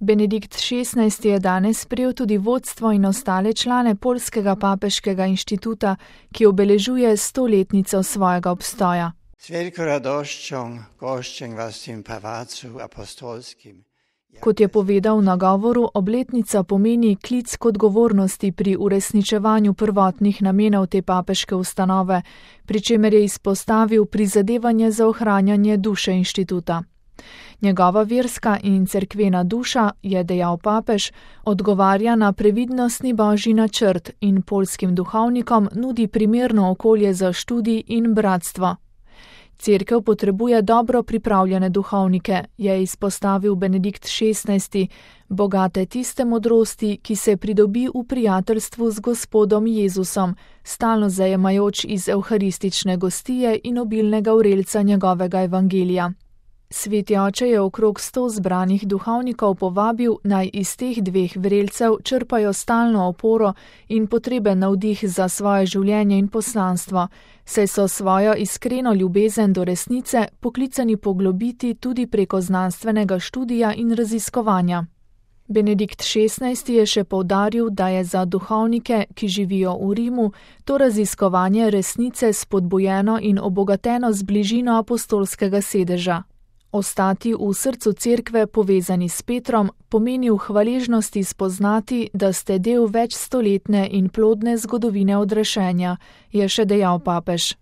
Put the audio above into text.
Benedikt XVI je danes sprejel tudi vodstvo in ostale člane Poljskega papeškega inštituta, ki obeležuje 100-letnico svojega obstoja. Z veliko radoščjo goščim vas v tem palácu apostolskim. Kot je povedal v nagovoru, obletnica pomeni klic k odgovornosti pri uresničevanju prvotnih namenov te papeške ustanove, pri čemer je izpostavil prizadevanje za ohranjanje duše inštituta. Njegova verska in cerkvena duša, je dejal papež, odgovarja na previdnostni božji načrt in poljskim duhovnikom nudi primerno okolje za študij in bratstvo. Cerkev potrebuje dobro pripravljene duhovnike, je izpostavil Benedikt XVI, bogate tiste modrosti, ki se pridobi v prijateljstvu z Gospodom Jezusom, stalno zajemajoč iz evharistične gostije in obilnega vrelca njegovega evangelija. Sveti oče je okrog 100 zbranih duhovnikov povabil, naj iz teh dveh vrelcev črpajo stalno oporo in potreben navdih za svoje življenje in poslanstvo, saj so svojo iskreno ljubezen do resnice poklicani poglobiti tudi preko znanstvenega študija in raziskovanja. Benedikt XVI je še poudaril, da je za duhovnike, ki živijo v Rimu, to raziskovanje resnice spodbujeno in obogateno z bližino apostolskega sedeža. Ostati v srcu cerkve povezani s Petrom pomeni v hvaležnosti spoznati, da ste del večstoletne in plodne zgodovine odrešenja, je še dejal papež.